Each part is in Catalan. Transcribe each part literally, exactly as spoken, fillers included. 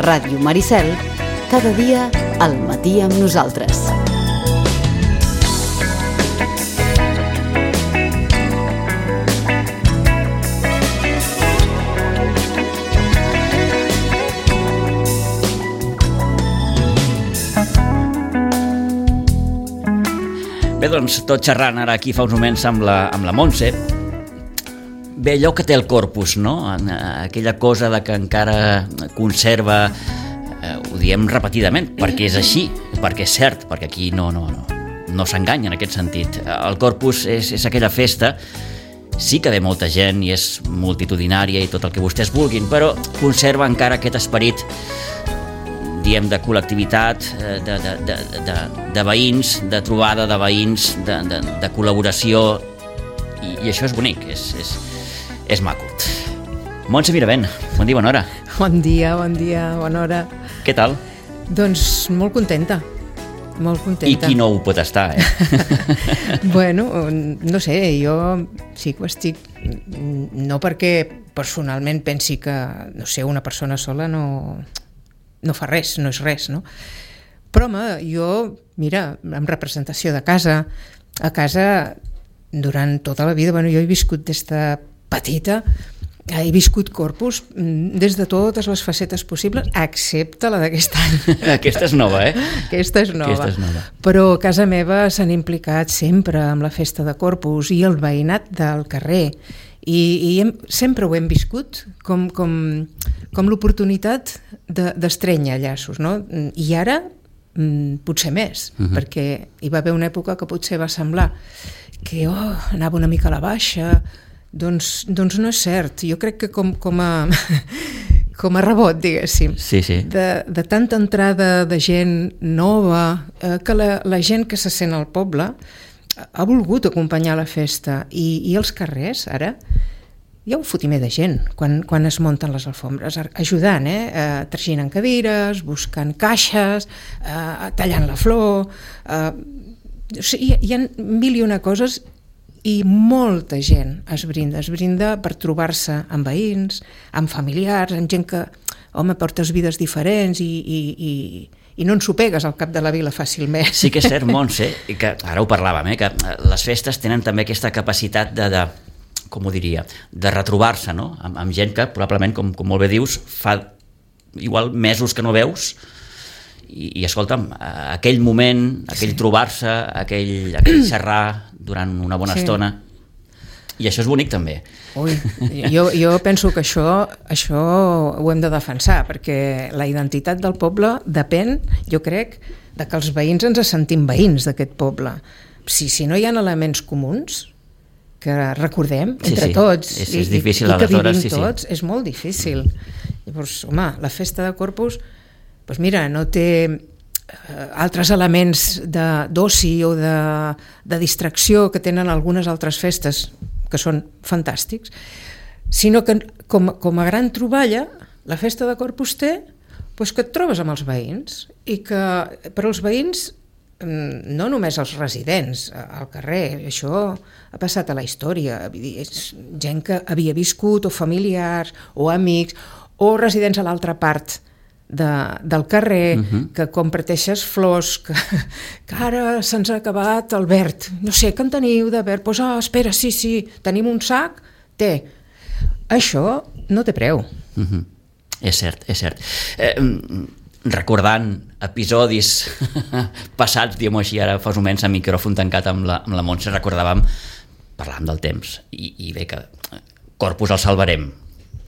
Ràdio Maricel, cada dia al matí amb nosaltres. Bé, doncs, tot xerrant ara aquí fa uns moments amb la, amb la Montse. Bé, allò que té el corpus, no? Aquella cosa de que encara conserva, eh, ho diem repetidament, perquè és així, perquè és cert, perquè aquí no, no, no, no s'enganya en aquest sentit. El corpus és, és aquella festa, sí que ve molta gent i és multitudinària i tot el que vostès vulguin, però conserva encara aquest esperit, diem, de col·lectivitat, de, de, de, de, de veïns, de trobada de veïns, de, de, de col·laboració, i, i això és bonic, és, és, és maco. Montse Miravent, bon dia, bona hora. Bon dia, bon dia, bona hora. Què tal? Doncs molt contenta, molt contenta. I qui no ho pot estar, eh? Bueno, no sé, jo sí que ho estic, no perquè personalment pensi que, no sé, una persona sola no... no fa res, no és res, no? Però, home, jo, mira, en representació de casa, a casa, durant tota la vida, bueno, jo he viscut des de petita, he viscut corpus des de totes les facetes possibles, excepte la d'aquest any. Aquesta és nova, eh? Aquesta és nova. Aquesta és nova. Però a casa meva s'han implicat sempre amb la festa de corpus i el veïnat del carrer, i, i hem, sempre ho hem viscut com, com, com l'oportunitat de, d'estrènyer llaços, no? I ara potser més, uh-huh. perquè hi va haver una època que potser va semblar que oh, anava una mica a la baixa, doncs, doncs no és cert. Jo crec que com, com a com a rebot, diguéssim, sí, sí. De, de tanta entrada de gent nova, eh, que la, la gent que se sent al poble ha volgut acompanyar la festa, i, i els carrers ara hi ha un fotimer de gent quan, quan es munten les alfombres, ajudant, eh? eh traginant cadires, buscant caixes, eh, tallant la flor, eh, o sigui, hi, hi ha mil i una coses, i molta gent es brinda, es brinda per trobar-se amb veïns, amb familiars, amb gent que, home, portes vides diferents i, i, i, i no ens ho pegues al cap de la vila fàcilment. Sí que és cert, Montse, i que ara ho parlàvem, eh, que les festes tenen també aquesta capacitat de, de com ho diria, de retrobar-se, no? Amb, amb gent que probablement, com, com molt bé dius, fa igual mesos que no veus, i, i escolta'm, aquell moment, aquell sí. trobar-se, aquell, aquell xerrar durant una bona sí. estona, i això és bonic també. Ui, jo, jo penso que això, això ho hem de defensar, perquè la identitat del poble depèn, jo crec, de que els veïns ens sentim veïns d'aquest poble. Si, si no hi ha elements comuns que recordem entre sí, sí. tots és, i, és difícil, i que vivim sí, tots, sí. és molt difícil. Llavors, home, la festa de Corpus, doncs mira, no té eh, altres elements de, d'oci o de, de distracció que tenen algunes altres festes, que són fantàstics, sinó que com, com a gran troballa, la festa de Corpus té doncs que et trobes amb els veïns, i que per als veïns, no només els residents al carrer, això ha passat a la història, és gent que havia viscut, o familiars, o amics, o residents a l'altra part de, del carrer, uh-huh. que comparteixes flors, que, que ara se'ns ha acabat el verd, no sé, que en teniu de verd? Doncs, ah, espera, sí, sí, tenim un sac, té. Això no té preu. Uh-huh. És cert, és cert. Eh, recordant episodis passats, diguem-ho així, ara fa uns moments a micròfon tancat amb la, amb la Montse, recordàvem, parlàvem del temps, i, i bé que Corpus el salvarem,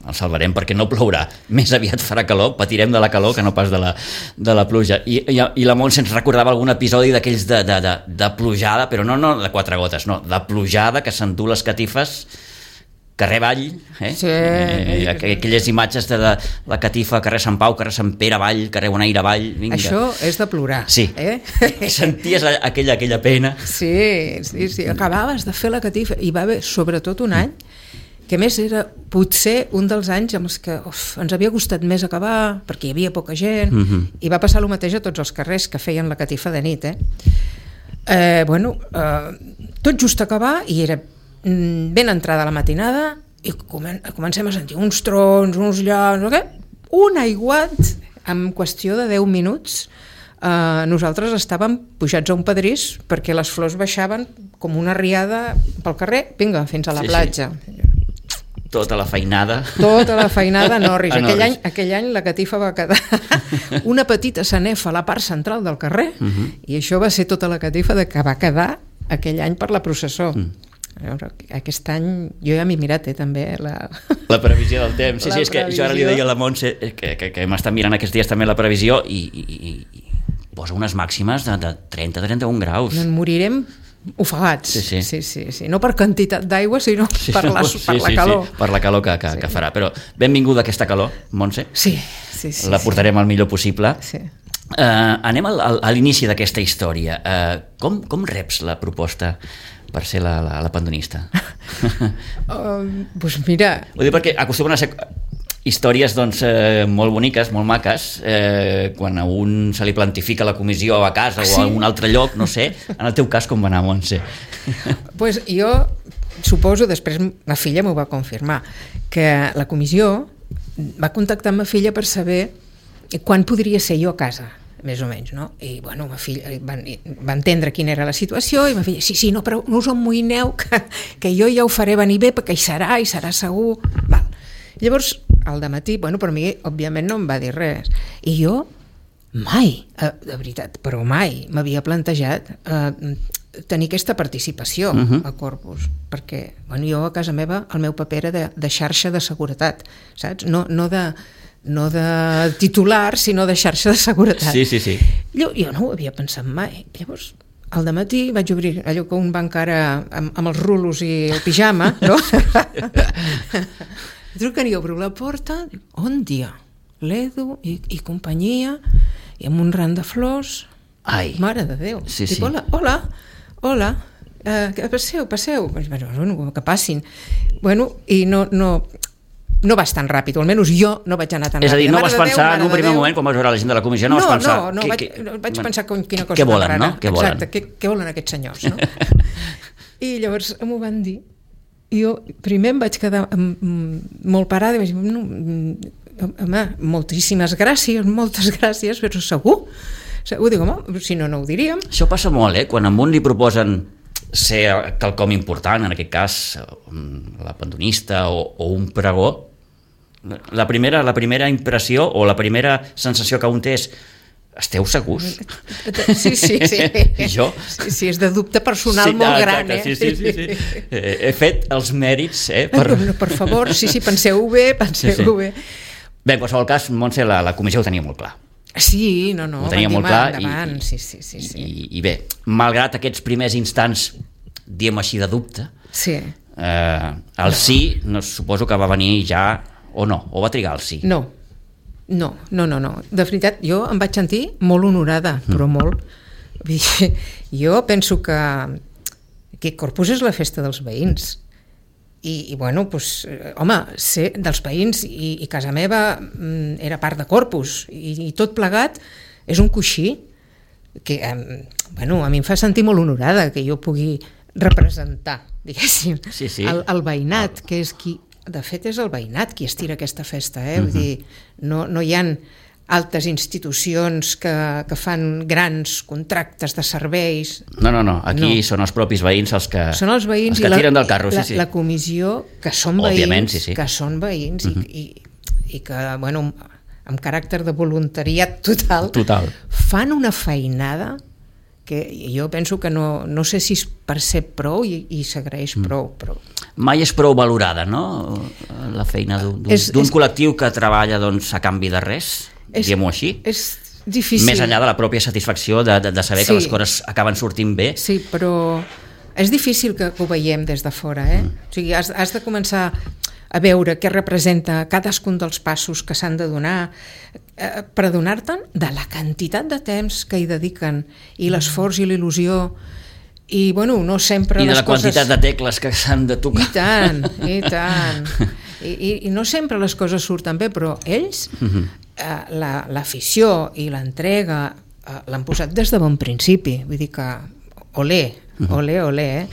el salvarem perquè no plourà, més aviat farà calor, patirem de la calor que no pas de la, de la pluja, i, i, i la Montse ens recordava algun episodi d'aquells de, de, de, de plujada, però no, no de quatre gotes, no, de plujada, que s'endú les catifes carrer Vall, eh? Sí. Eh, aquelles imatges de, de la catifa, carrer Sant Pau, carrer Sant Pere Vall, carrer Bonaire Vall, vinga. Això és de plorar. Sí, eh? senties aquella, aquella pena. Sí, sí, sí, acabaves de fer la catifa, i va haver sobretot un any, que més era potser un dels anys amb els que uf, ens havia costat més acabar, perquè hi havia poca gent, uh-huh. i va passar el mateix a tots els carrers que feien la catifa de nit. Eh? Eh, bueno, eh, tot just acabar, i era ben entrada la matinada, i comencem a sentir uns trons, uns llaus, no, un aiguat en qüestió de deu minuts, eh, nosaltres estàvem pujats a un pedrís perquè les flors baixaven com una riada pel carrer, vinga, fins a la Sí, platja. sí. Tota la feinada. Tota la feinada a Norris. A Aquell, Norris. any, aquell any la catifa va quedar una petita sanefa a la part central del carrer, Uh-huh. i això va ser tota la catifa de que va quedar aquell any per la processó. Mm. Llavors, aquest any jo ja m'he mirat, eh, també, la... La previsió del temps. Sí, La sí, és que jo ara li previsió. deia a la Montse que, que, que m'està mirant aquests dies també la previsió i, i, i, i posa unes màximes de, de trenta a trenta-un graus. No en morirem ofegats. Sí, sí. sí, sí, sí. No per quantitat d'aigua, sinó Sí, per la, sí, per la sí, calor. Sí, per la calor que, que, Sí. que farà. Però benvinguda aquesta calor, Montse. Sí, sí, sí. La portarem el millor possible. Sí. Uh, anem al, al, a l'inici d'aquesta història. Uh, com, com reps la proposta per ser la, la, la pandonista? Uh, doncs mira... Ho dic perquè acostumen a ser històries doncs, eh, molt boniques, molt maques, eh, quan a un se li plantifica la comissió a casa Sí. o a un altre lloc, no sé. En el teu cas, com va anar, Montse? Pues jo suposo, després ma filla m'ho va confirmar, que la comissió va contactar amb ma filla per saber quan podria ser jo a casa, més o menys, no? I, bueno, ma filla va, va entendre quina era la situació i ma filla, sí, sí, no, però no us emmoïneu, que, que jo ja ho faré venir bé, perquè hi serà, hi serà segur. Val. Llavors, al dematí, bueno, per mi, òbviament, no em va dir res. I jo mai, eh, de veritat, però mai m'havia plantejat eh, tenir aquesta participació Uh-huh. a Corpus, perquè bueno, jo a casa meva el meu paper era de, de xarxa de seguretat, saps? No, no, de, no de titular, sinó de xarxa de seguretat. Sí, sí, sí. Jo, jo no ho havia pensat mai. Llavors, al dematí vaig obrir allò que un va encara amb, amb els rulos i el pijama, no? Truquen i obro la porta, dic, on dia? L'Edu i, i companyia, i amb un ram de flors. Ai. Mare de Déu. Sí, Dic, sí. hola, hola, hola, uh, passeu, passeu. Bueno, que passin. Bueno, i no, no, no vas tan ràpid, o almenys jo no vaig anar tan És a dir, ràpid. no Mare vas de Déu, pensar mare en un de primer Déu. moment, quan vas veure la gent de la comissió, no, no, vas pensar... no, no, que, vaig, que, vaig bueno, pensar com, quina cosa què tan volen, rara. no? Què volen? Exacte, què, què volen aquests senyors, no? I llavors m'ho van dir. I jo primer em vaig quedar amb, amb, molt parada i vaig dir, no, home, moltíssimes gràcies, moltes gràcies, però segur? Segur, dic, home, si no, no ho diríem. Això passa molt, eh? Quan a un li proposen ser quelcom important, en aquest cas la pandonista o, o un pregó, la primera, la primera impressió o la primera sensació que un té és esteu segurs? Sí, sí, sí. I jo? Sí, sí, és de dubte personal Sí, molt exacte, gran, eh? Sí, sí, sí, sí. Eh, he fet els mèrits, eh? Per... Per... No, per favor, sí, sí, penseu-ho bé, penseu-ho Sí, sí. bé. Bé, en qualsevol cas, Montse, la, la comissió ho tenia molt clar. Sí, no, no, Ho tenia van molt dir, clar endavant, i, sí, sí, sí, sí. I, i bé, malgrat aquests primers instants, diem així, de dubte, Sí. eh, el sí, no, suposo que va venir ja, o no, o va trigar el sí. No, no, no, no, no. De veritat, jo em vaig sentir molt honorada, però molt. Vull dir, jo penso que que Corpus és la festa dels veïns. I, i bueno, doncs, home, ser dels veïns i, i casa meva mm, era part de Corpus i, i tot plegat és un coixí que, eh, bueno, a mi em fa sentir molt honorada que jo pugui representar, diguéssim, Sí, sí. el, el veïnat, que és qui, de fet és el veïnat qui estira aquesta festa, eh? Vull dir, no, no hi ha altres institucions que, que fan grans contractes de serveis. No, no, no, aquí No. són els propis veïns els que, Són els veïns els que i la, tiren del carro, la, sí, sí. la comissió, que són Òbviament, veïns, sí, sí. que són veïns uh -huh. i, i, i que, bueno, amb caràcter de voluntariat total, Total. fan una feinada que jo penso que no, no sé si és per ser prou i, i s'agraeix mm. prou, però... Mai és prou valorada, no?, la feina d'un És- d'un és- col·lectiu que treballa doncs, a canvi de res, diguem-ho així, És difícil. més enllà de la pròpia satisfacció de, de, de saber Sí. que les coses acaben sortint bé. Sí, però és difícil que, que ho veiem des de fora, eh? Mm. O sigui, has, has de començar a veure què representa cadascun dels passos que s'han de donar eh, per adonar-te'n de la quantitat de temps que hi dediquen i l'esforç i l'il·lusió i, bueno, no sempre I de les la coses... quantitat de tecles que s'han de tocar. I tant, i tant. I, i, i no sempre les coses surten bé, però ells, eh, la, l'afició i l'entrega eh, l'han posat des de bon principi. Vull dir que, olé, olé, olé, eh?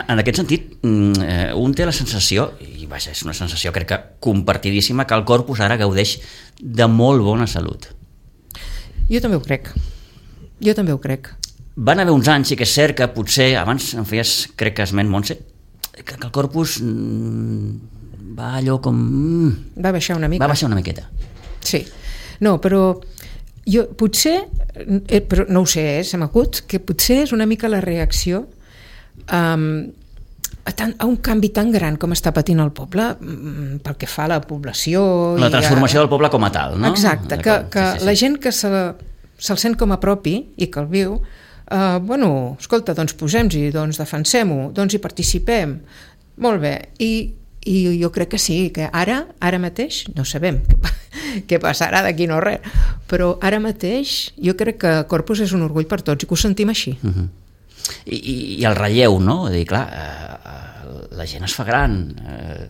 En aquest sentit, un té la sensació, i vaja, és una sensació crec que compartidíssima, que el Corpus ara gaudeix de molt bona salut. Jo també ho crec. Jo també ho crec. Van haver uns anys, sí que és cert que potser, abans em feies, crec que esment, Montse, que el Corpus mm, va allò com... Mm, va baixar una mica. Va baixar una miqueta. Sí. No, però jo potser, eh, però no ho sé, eh, se m'acut, que potser és una mica la reacció um, a, tan, a un canvi tan gran com està patint el poble um, pel que fa a la població. La transformació a... del poble com a tal, no? Exacte, que, que sí, sí, sí. La gent que se, se'l sent com a propi i que el viu, uh, bueno, escolta, doncs posem-hi, doncs defensem-ho, doncs hi participem. Molt bé, i i jo crec que sí, que ara ara mateix, no sabem què, què passarà d'aquí no res, però ara mateix jo crec que Corpus és un orgull per tots i que ho sentim així. Uh-huh. I, i, I el relleu, no? Vull dir, clar, eh, la gent es fa gran, eh,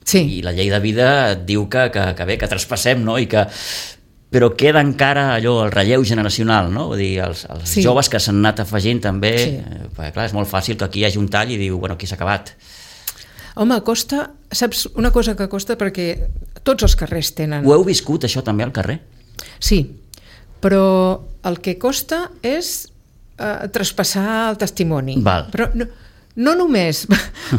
sí. I la llei de vida et diu que, que, que bé, que traspassem, no? I que però queda encara allò, el relleu generacional, no? Vull dir, els, els sí. joves que s'han anat afegint també, sí. eh, perquè clar, és molt fàcil que aquí hi hagi un tall i diu, bueno, aquí s'ha acabat. Home, costa, saps una cosa que costa perquè tots els carrers tenen... Ho heu viscut, això, també, al carrer? Sí, però el que costa és eh, traspassar el testimoni. Val. Però no, no només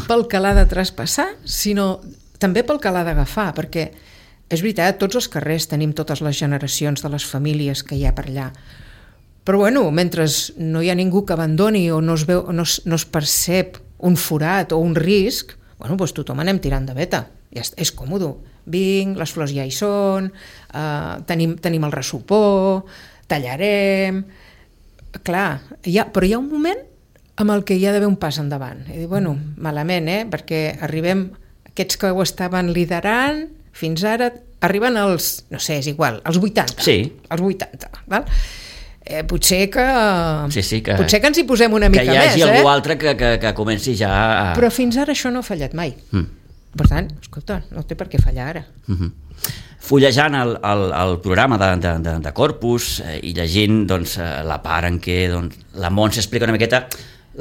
pel que l'ha de traspassar, sinó també pel que l'ha d'agafar, perquè és veritat, tots els carrers tenim totes les generacions de les famílies que hi ha per allà. Però bueno, mentre no hi ha ningú que abandoni o no es, veu, no es, no es percep un forat o un risc, bueno, doncs tothom anem tirant de veta, ja és, és còmode, vinc, les flors ja hi són, eh, tenim, tenim el ressupor, tallarem, clar, hi ha, però hi ha un moment amb el que hi ha d'haver un pas endavant, i dir, bueno, malament, eh, perquè arribem, aquests que ho estaven liderant, fins ara, arriben als, no sé, és igual, als vuitanta, sí. als vuitanta, val? Eh, potser que sí, sí, que potser que ens hi posem una mica més, que hi hagi eh? algú altre que, que, que comenci ja a... Però fins ara això no ha fallat mai. Mm. Per tant, escolta, no té per què fallar ara. Mm-hmm. Fullejant el, el, el programa de, de, de, de Corpus eh, i llegint doncs, la part en què doncs, la Montse explica una miqueta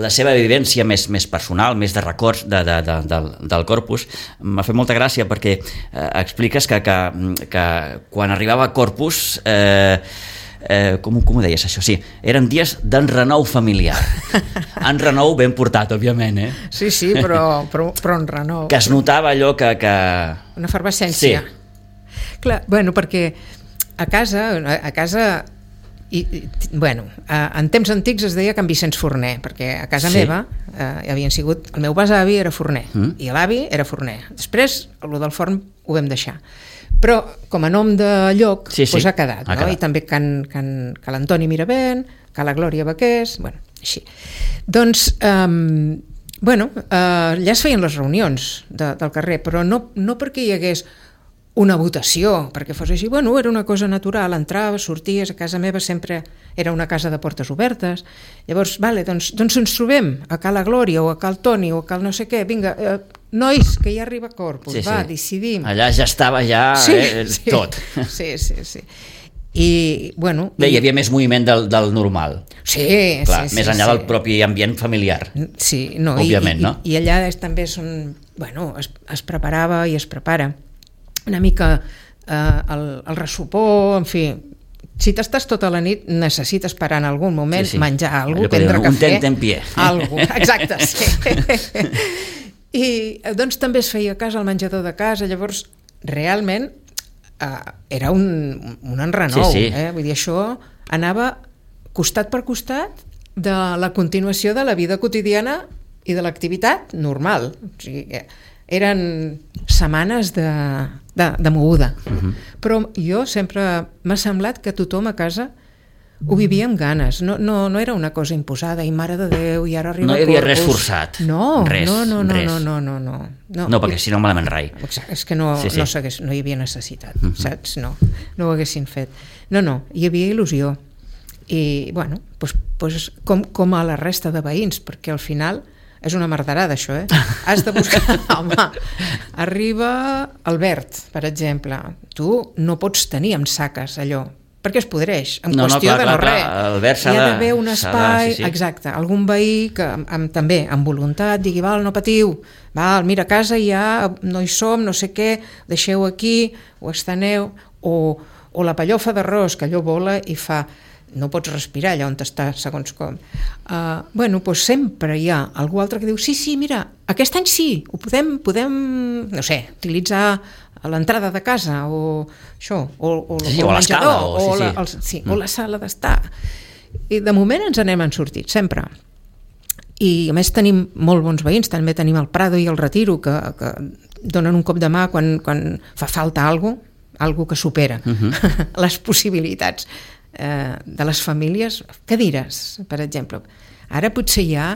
la seva vivència més, més personal, més de records de, de, de, del, del Corpus, m'ha fet molta gràcia perquè eh, expliques que, que, que quan arribava a Corpus... Eh, Eh, com, com ho deies això? Sí, eren dies d'enrenou familiar. Enrenou ben portat, òbviament, eh? Sí, sí, però, però, però enrenou. Que es notava allò que... que... Una efervescència. Sí. Clar, bueno, perquè a casa, a casa i, i, bueno, en temps antics es deia Can Vicenç Forner, perquè a casa sí. meva eh, havien sigut, el meu besavi era forner mm. i l'avi era forner. Després, el del forn ho vam deixar. Però com a nom de lloc sí, sí. Pues ha quedat, ha no? Quedat. I també can, can, que l'Antoni Miravent, que la Glòria Baqués, bueno, així. Doncs, um, bueno, uh, allà es feien les reunions de, del carrer, però no, no perquè hi hagués una votació, perquè fos així, bueno, era una cosa natural, entraves, sorties, a casa meva sempre era una casa de portes obertes, llavors, vale, doncs, doncs ens trobem a Cala Glòria o a Cal Toni o a Cal no sé què, vinga, eh, nois, que ja arriba Corpus, sí, va, sí. decidim. Allà ja estava ja sí, eh, sí, tot. Sí, sí, sí. I, bueno... Bé, hi havia més moviment del, del normal. Sí, clar, sí, més sí, enllà sí. del propi ambient familiar. Sí, no, òbviament, i, no? I, i allà és, també és un... Bueno, es, es preparava i es prepara una mica eh, el, el ressupor, en fi... Si t'estàs tota la nit, necessites parar en algun moment, sí, sí. menjar alguna cosa, prendre un cafè... Un tentempié. Algo, exacte, sí. I doncs també es feia cas al menjador de casa, llavors realment eh, era un, un enrenou, sí, sí. Eh? Vull dir, això anava costat per costat de la continuació de la vida quotidiana i de l'activitat normal. O sigui, eren setmanes de, de, de moguda. Uh-huh. Però jo sempre m'ha semblat que tothom a casa ho vivia amb ganes, no, no, no era una cosa imposada i mare de Déu i ara arriba no hi havia Corpus. Res forçat, no, res, no, no, no, res. no, no, no, no, no. No, perquè si no malament rai. Exacte, és que no, sí, sí. no, no hi havia necessitat, uh-huh. saps? No, no ho haguessin fet. No, no, hi havia il·lusió i, bueno, pues, pues, com, com a la resta de veïns, perquè al final és una merderada això, eh? Has de buscar... Home, arriba Albert, per exemple. Tu no pots tenir amb saques allò, perquè es podreix, en no, qüestió no, clar, de no clar, res. Clar, Albert s'ha hi ha de, d'haver un espai, de, sí, sí. exacte, algun veí que amb, amb, també amb voluntat digui, val, no patiu, val, mira, a casa ja no hi som, no sé què, deixeu aquí, o esteneu, o, o la pellofa d'arròs, que allò vola i fa... no pots respirar allà on està, segons com. Uh, bueno, doncs sempre hi ha algú altre que diu, sí, sí, mira, aquest any sí, ho podem, podem no sé, utilitzar a l'entrada de casa, o això, o, o, sí, o o el menjador, o, o, sí, la, sí. el, sí, mm. o la sala d'estar. I de moment ens n'hem en sortit, sempre. I a més tenim molt bons veïns, també tenim el Prado i el Retiro, que, que donen un cop de mà quan, quan fa falta alguna cosa, alguna que supera uh-huh. les possibilitats eh, de les famílies. Cadires, per exemple. Ara potser hi ha,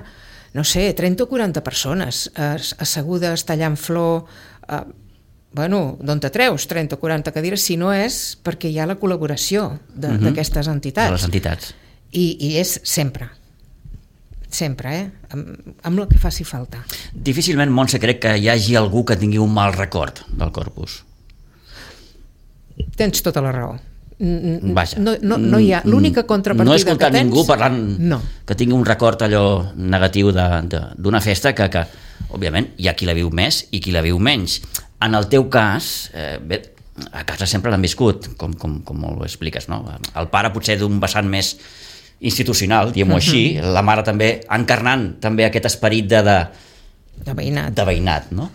no sé, trenta o quaranta persones eh, assegudes, tallant flor... Eh, bueno, d'on te treus trenta o quaranta cadires si no és perquè hi ha la col·laboració d'aquestes uh-huh. entitats. De les entitats. I, i és sempre. Sempre, eh? Amb, amb el que faci falta. Difícilment, Montse, crec que hi hagi algú que tingui un mal record del Corpus. Tens tota la raó. Vaja. No, no, no hi ha... L'única contrapartida no he escoltat que tens... ningú parlant no. que tingui un record allò negatiu d'una festa que, que, òbviament, hi ha qui la viu més i qui la viu menys. En el teu cas, eh, bé, a casa sempre l'han viscut, com, com, com ho expliques, no? El pare potser d'un vessant més institucional, diguem-ho així, uh-huh. la mare també encarnant també aquest esperit de, de, de veïnat, de veïnat, no?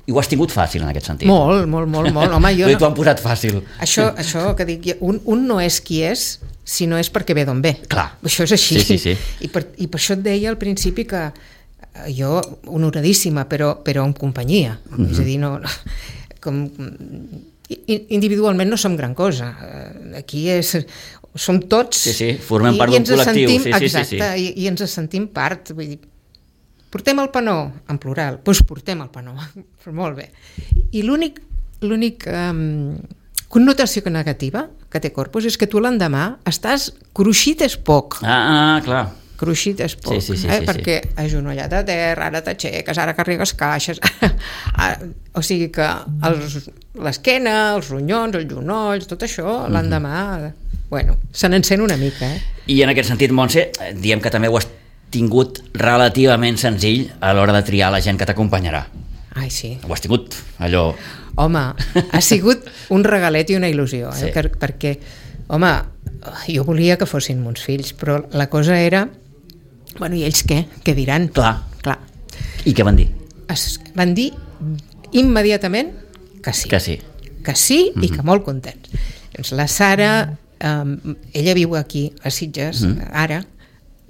I ho has tingut fàcil en aquest sentit. Molt, molt, molt, molt. Home, jo no... t'ho han posat fàcil. Això, això que dic, un, un no és qui és si no és perquè ve d'on ve. Clar. Això és així. Sí, sí, sí. I, per, I per això et deia al principi que jo, honoradíssima, però, però en companyia. Mm-hmm. És a dir, no, no, com, individualment no som gran cosa. Aquí és, som tots... Sí, sí, formem part d'un col·lectiu. Sentim, sí, sí, exacte, sí, sí. I, i ens sentim part. Vull dir, portem el panó, en plural, doncs portem el panó, molt bé. I l'únic, l'únic um, connotació negativa que té Corpus és que tu l'endemà estàs cruixit és poc. Ah, ah clar. Cruixit és poc, sí, sí, sí, eh? sí, perquè sí. agenollat a terra, ara t'aixeques, ara carregues caixes, o sigui que els, l'esquena, els ronyons, els genolls, tot això, mm-hmm. l'endemà, bueno, se n'encén una mica. Eh? I en aquest sentit, Montse, diem que també ho has tingut relativament senzill a l'hora de triar la gent que t'acompanyarà. Ai, sí. Ho has tingut allò... Home, ha sigut un regalet i una il·lusió, eh? Sí. Perquè, home, jo volia que fossin meus fills, però la cosa era... Bueno, i ells què? Què diran? Clar. Clar. I què van dir? Es, van dir immediatament que sí. Que sí. Que sí mm-hmm. i que molt contents. Doncs la Sara, eh, ella viu aquí, a Sitges, mm-hmm. ara,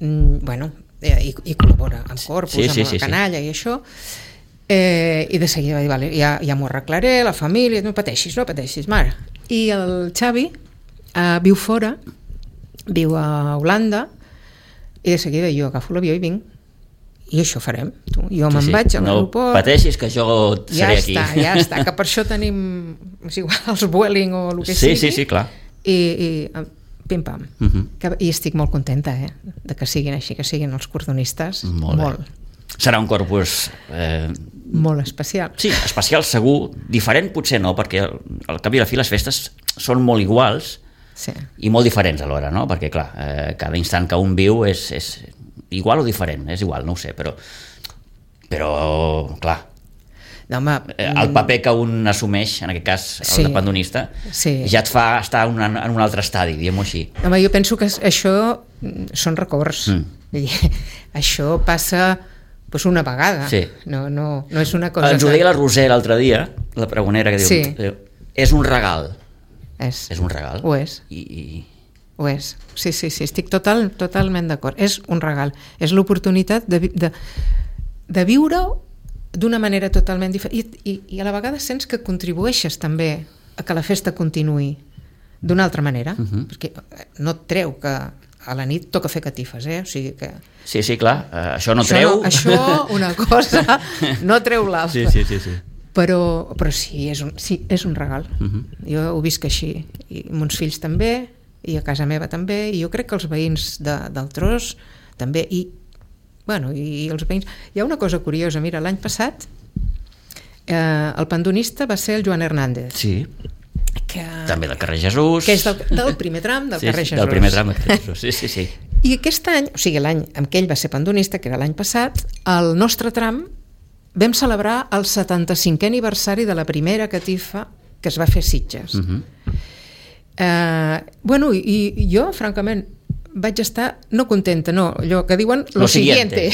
mm, bueno... I, i col·labora amb Corpus, sí, sí, amb la sí, canalla sí. i això, eh, i de seguida va dir, vale, ja, ja m'ho arreglaré, la família, no pateixis, no pateixis, mare. I el Xavi eh, viu fora, viu a Holanda, i de seguida jo agafo l'avió i vinc, i això farem. Tu, jo sí, me'n sí. vaig a l'aeroport. No pateixis, que jo seré ja aquí. Ja està, ja està, que per això tenim, és igual, els Vueling o el que sí, sigui. Sí, sí, clar. I... i pim-pam. Uh-huh. Que, i estic molt contenta eh, de que siguin així, que siguin els cordonistes. Molt, molt. Serà un Corpus eh... molt especial. Sí, especial segur, diferent potser no, perquè al, al cap i a la fi les festes són molt iguals sí. i molt diferents alhora, no? Perquè clar, eh, cada instant que un viu és, és igual o diferent, és igual, no ho sé, però però clar, no, home, el paper que un assumeix, en aquest cas el sí, de pandonista, sí. ja et fa estar en, una, en un altre estadi, diguem-ho així. Home, jo penso que això són records. Mm. Això passa pues, una vegada. Sí. No, no, no és una cosa... Ens ho deia la Roser l'altre dia, la pregonera, que diu, sí. és un regal. És. És un regal. Ho és. I, i... Ho és. Sí, sí, sí, estic total, totalment d'acord. És un regal. És l'oportunitat de, de, de viure-ho d'una manera totalment diferent I, i, i a la vegada sents que contribueixes també a que la festa continuï d'una altra manera, uh-huh. perquè no et treu que a la nit toca fer catifes, eh? O sigui que... Sí, sí, clar, uh, això no això treu... No, això, una cosa, no treu l'altra. Sí, sí, sí, sí. Però, però sí, és un, sí, és un regal. Uh-huh. Jo ho visc així, i mons fills també, i a casa meva també, i jo crec que els veïns de, del Tros també, i Bueno, i els veïns... Hi ha una cosa curiosa, mira, l'any passat eh, el pandonista va ser el Joan Hernández. Sí, que, també del carrer Jesús. Que és del, del primer tram del sí, carrer Jesús. del primer tram del carrer Jesús, sí, sí, sí. I aquest any, o sigui, l'any en què ell va ser pandonista, que era l'any passat, el nostre tram vam celebrar el setanta-cinquè aniversari de la primera catifa que es va fer a Sitges. Uh-huh. Eh, bueno, i, i jo, francament, vaig estar no contenta, no, allò que diuen lo, lo siguiente,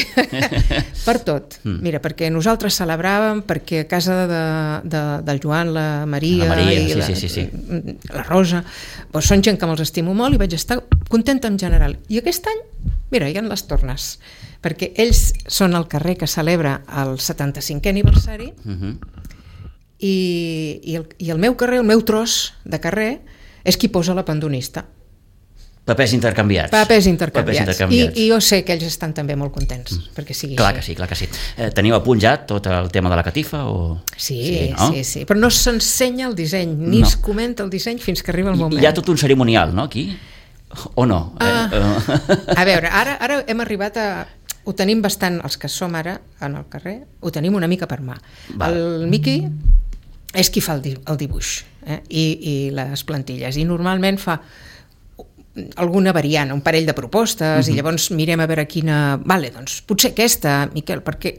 per tot. Mm. Mira, perquè nosaltres celebràvem, perquè a casa de, de, del Joan, la Maria, la Maria i sí, la, sí, sí, sí. la Rosa, doncs són gent que me'ls estimo molt i vaig estar contenta en general. I aquest any, mira, hi ha les tornes, perquè ells són el carrer que celebra el setanta-cinquè aniversari, mm-hmm. i, i, el, i el meu carrer, el meu tros de carrer, és qui posa la pandonista. Papers intercanviats. Papers intercanviats. Papers intercanviats. I, I jo sé que ells estan també molt contents mm. perquè sigui clar així. Que sí, clar que sí. Eh, teniu a punt ja tot el tema de la catifa? O... Sí, sí, no? sí, sí, però no s'ensenya el disseny, ni no. es comenta el disseny fins que arriba el moment. I hi ha tot un cerimonial, no, aquí? O no? Ah, eh, a veure, ara, ara hem arribat a... Ho tenim bastant, els que som ara en el carrer, ho tenim una mica per mà. Va. El Miqui és qui fa el, di el dibuix eh? I, i les plantilles, i normalment fa alguna variant, un parell de propostes, uh-huh. i llavors mirem a veure quina... Vale, doncs potser aquesta, Miquel, perquè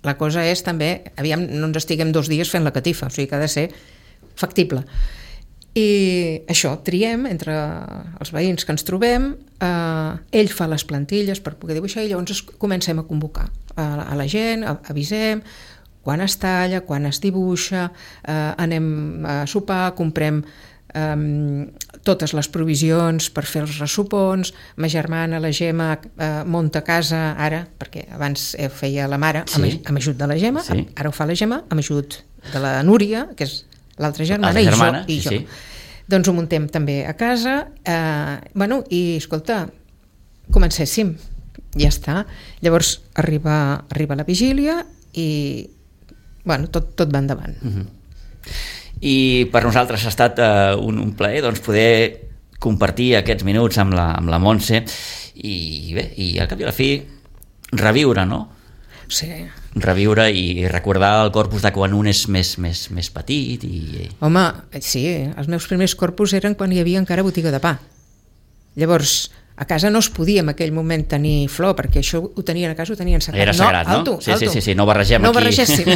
la cosa és també, aviam, no ens estiguem dos dies fent la catifa, o sigui que ha de ser factible. I això, triem entre els veïns que ens trobem, eh, ell fa les plantilles per poder dibuixar i llavors comencem a convocar a, a la gent, a, avisem quan es talla, quan es dibuixa, eh, anem a sopar, comprem Um, totes les provisions per fer els ressupons, ma germana, la Gemma, uh, munta casa ara, perquè abans eh, feia la mare sí. amb, amb ajut de la Gemma, sí. ara ho fa la Gemma amb ajut de la Núria, que és l'altra germana, i germana, jo, i sí, jo. Sí. Doncs ho muntem també a casa, uh, bueno, i escolta, comencéssim, ja està. Llavors arriba, arriba la vigília i bueno, tot, tot va endavant. Uh-huh. I per nosaltres ha estat uh, un, un plaer doncs, poder compartir aquests minuts amb la, amb la Montse i bé, i al cap i a la fi reviure, no? Sí. Reviure i recordar el corpus de quan un és més, més, més petit i... Home, sí, els meus primers corpus eren quan hi havia encara botiga de pa. Llavors, a casa no es podia en aquell moment tenir flor, perquè això ho tenien a casa, ho tenien sagrat. Era sagrat, no? Alto, sí, alto. sí, sí, sí, no barregem no aquí. No barregéssim.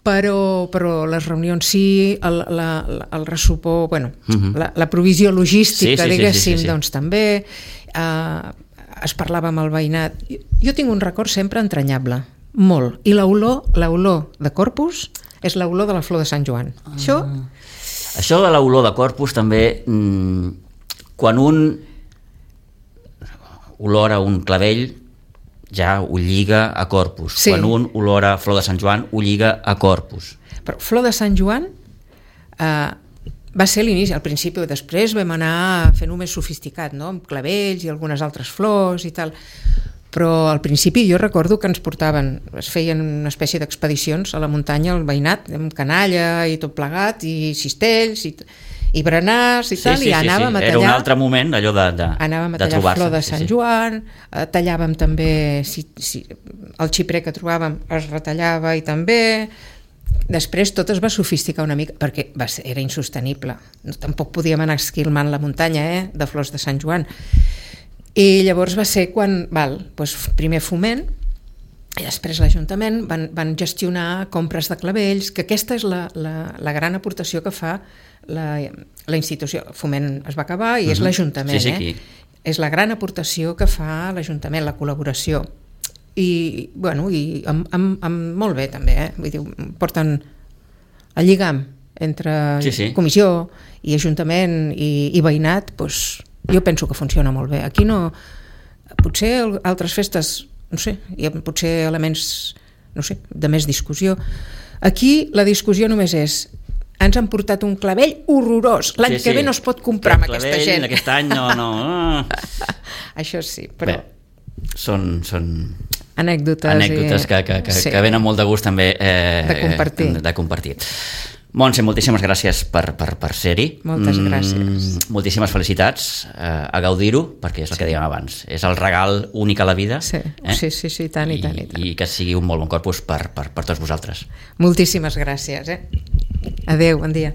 Però, però les reunions sí, el, la, el ressupor, bueno, uh-huh. la, la provisió logística, sí, sí, diguéssim, sí, sí, sí, sí. doncs també, eh, es parlava amb el veïnat. Jo, jo tinc un record sempre entranyable, molt, i l'olor, l'olor de Corpus és l'olor de la flor de Sant Joan. Ah. Això... Això de l'olor de Corpus també, mmm, quan un olora un clavell, ja ho lliga a Corpus. Sí. Quan un olora flor de Sant Joan, ho lliga a Corpus. Però flor de Sant Joan eh, va ser l'inici, al principi, després vam anar fent-ho més sofisticat, no? Amb clavells i algunes altres flors i tal. Però al principi jo recordo que ens portaven, es feien una espècie d'expedicions a la muntanya, al veïnat, amb canalla i tot plegat, i cistells, i, i berenars i sí, tal, sí, i anàvem sí, sí. a tallar... Era un altre moment, allò de, de, anàvem a de tallar flor de Sant sí, sí. Joan, eh, tallàvem també, si, si, el xiprer que trobàvem es retallava i també... Després tot es va sofisticar una mica, perquè va ser, era insostenible. No, tampoc podíem anar esquilmant la muntanya eh, de flors de Sant Joan. I llavors va ser quan, val, doncs primer Foment, i després l'Ajuntament van, van gestionar compres de clavells, que aquesta és la, la, la gran aportació que fa la, la institució. Foment es va acabar i uh-huh. és l'Ajuntament. Sí, sí, eh? És la gran aportació que fa l'Ajuntament, la col·laboració. I, bueno, i amb, amb, amb molt bé també, eh? Vull dir, porten el lligam entre sí, sí. comissió i Ajuntament i, i veïnat, doncs jo penso que funciona molt bé. Aquí no... Potser altres festes, no sé, hi ha potser elements, no sé, de més discussió. Aquí la discussió només és ens han portat un clavell horrorós. L'any sí, sí. que ve no es pot comprar amb aquesta gent. Aquest any no... no. Això sí, però... Bé, són... són... anècdotes, anècdotes i... que, que, que, sí. que venen molt de gust també eh, de compartir. De, de compartir. Montse, moltíssimes gràcies per, per, per ser-hi. Moltes gràcies. Mm, moltíssimes felicitats, eh, a gaudir-ho, perquè és el sí. que dèiem abans, és el regal únic a la vida. Sí, eh? sí, sí, sí, tant i, i tant. I, tant. I que sigui un molt bon corpus per, per, per tots vosaltres. Moltíssimes gràcies. Eh? Adéu, bon dia.